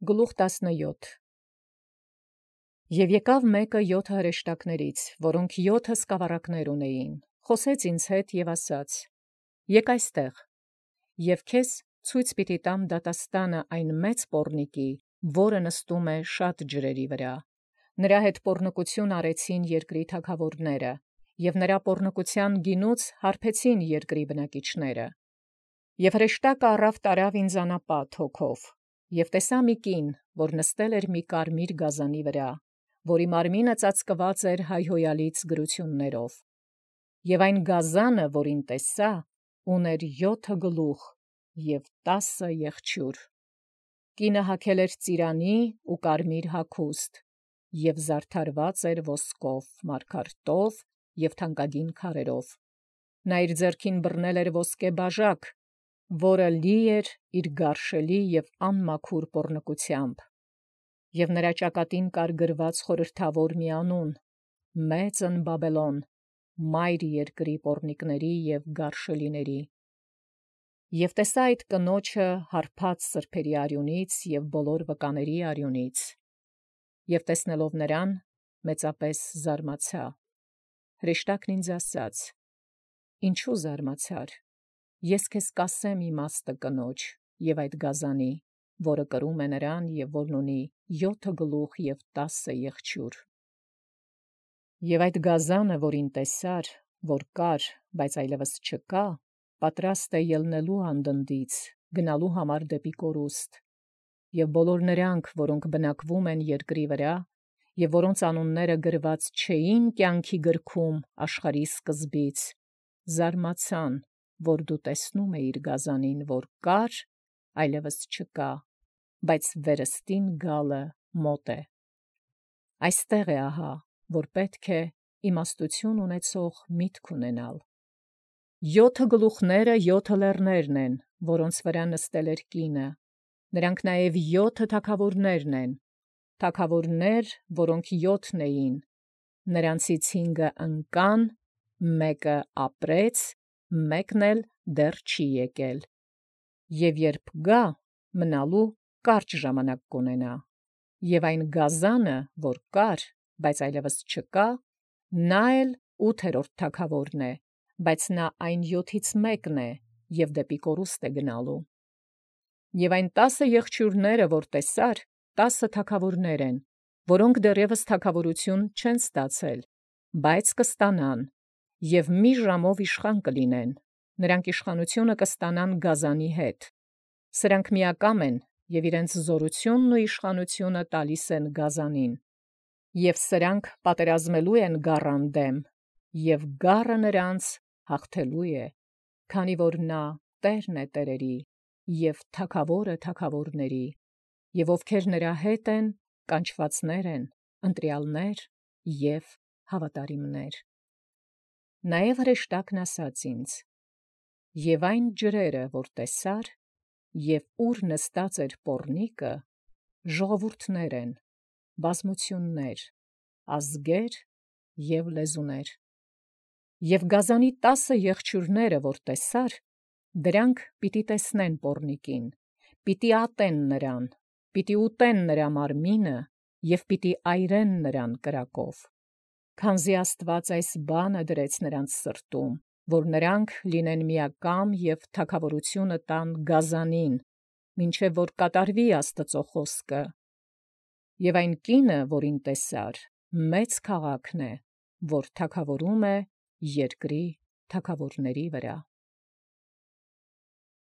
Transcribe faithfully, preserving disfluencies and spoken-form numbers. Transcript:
Գլուխ տասնյոթ Եւ եկեալ մեկը յոթ հրեշտակաց, որք յոթ սկավառակաց ունէին, խօսեց ինձ հետ եւ ասաց. Եկ այստեղ, եւ քեզ ցույց պիտի տամ դատաստանը այն մեծ պոռնիկի, որը նստում է շատ ջրերի վրա. նրա հետ պոռնկութիւն արեցին երկրի թագաւորները, եւ նրա պոռնկութեան գինուց հարբեցին երկրի բնակիչները. եւ հրեշտակը առաւ տարաւ ինձ անապատ հոգով. Եւ տեսայ մի կին, որ նստել էր մի կարմիր գազանի վրա, որի մարմինը ծածկված էր հայհոյալից գրութիւններով. եւ այն գազանը, որին տեսայ, ունէր յոթ գլուխ եւ տասը եղջիւր. կինը հագել էր ծիրանի ու կարմիր հագուստ, եւ զարդարված էր ոսկով, մարգարտով եւ թանկագին քարերով. նա իր ձեռքին բռնել էր ոսկե բաժակ, որը լի էր իր գարշելի եւ անմաքուր պոռնկութեամբ. եւ նրա ճակատին կար գրված խորհրդավոր մի անուն. Մեծն Բաբելոն, մայր երկրի պոռնիկների եւ գարշելիների. Եւ տեսայ այդ կնոջը հարբած սրբերի արիունից եւ բոլոր վկաների արիունից. եւ տեսնելով նրան, մեծապես զարմացա. հրեշտակն ինձ ասաց. Ինչու զարմացար, ես քեզ կասեմ իմաստը կնոջ եւ այդ գազանի, որը կրում է նրան եւ որն ունի յոթ գլուխ եւ տասը եղջիւր. եւ այդ գազանը, որին տեսար, որ կար, բայց այլևս չկա, պատրաստ է ելնելու անդնդից, գնալու համար դեպի կորուստ. եւ բոլոր նրանք, որոնք բնակվում են երկրի վրա, եւ որոնց անունները գրված չէին կյանքի գրքում աշխարհի սկզբից, զարմացան, որ դու տեսնում էիր գազանին, որ կար, այլևս չկա, բայց վերստին գալը մոտ է. այստեղ է ահա, որ պետք է իմաստութիւն ունեցող միտք ունենալ. յոթ գլուխները յոթ լեռներն են, որոնց վրա նստել էր կինը, նրանք նաև յոթ թագաւորներն են, թագաւորներ, որոնք յոթն էին, նրանցից հինգը ընկան, մեկը ապրեց, մեկն էլ դեռ չի եկել. եւ երբ գա, մնալու կարճ ժամանակ կունենա. եւ այն գազանը, որ կար, բայց այլևս չկա, նա էլ ութերորդ թագաւորն է, բայց նա այն յոթից մեկն է, եւ դեպի կորուստ է գնալու. Եւ այն տասը եղջիւրները, որ տեսար, տասը թագաւորներ են, որոնք դեռևս թագաւորութիւն չեն ստացել, բայց կստանան, եւ մի ժամով իշխան կլինեն, նրանք իշխանութիւնը կստանան գազանի հետ. սրանք միակամ են եւ իրենց զորութիւնն ու իշխանութիւնը տալիս են գազանին. եւ սրանք պատերազմելու են գառան դեմ, եւ գառը նրանց հաղթելու է, քանի որ նա Տերն է տերերի եւ թագաւորը թագաւորների, եւ ովքեր նրա հետ են, կանչվածներ են, ընտրյալներ եւ հավատարիմներ. Նաեւ հրեշտակն ասաց ինձ. եւ այն ջրերը, որ տեսար, եւ ուր նստած էր պոռնիկը, ժողովուրդներ են, բազմութիւններ, ազգեր եւ լեզուներ. եւ գազանի տասը եղջիւրները, որ տեսար, դրանք պիտի տեսնեն պոռնիկին, պիտի ատեն նրան, պիտի ուտեն նրա մարմինը եւ պիտի այրեն նրան կրակով. քանզի Աստուած այս բանը դրեց նրանց սրտում, որ նրանք լինեն միակամ եւ թագաւորութիւնը տան գազանին, մինչև որ կատարվի Աստուծոյ խոսքը. եւ այն կինը, որին տեսար, մեծ քաղաքն է, որ թագաւորում է երկրի թագաւորների վրա։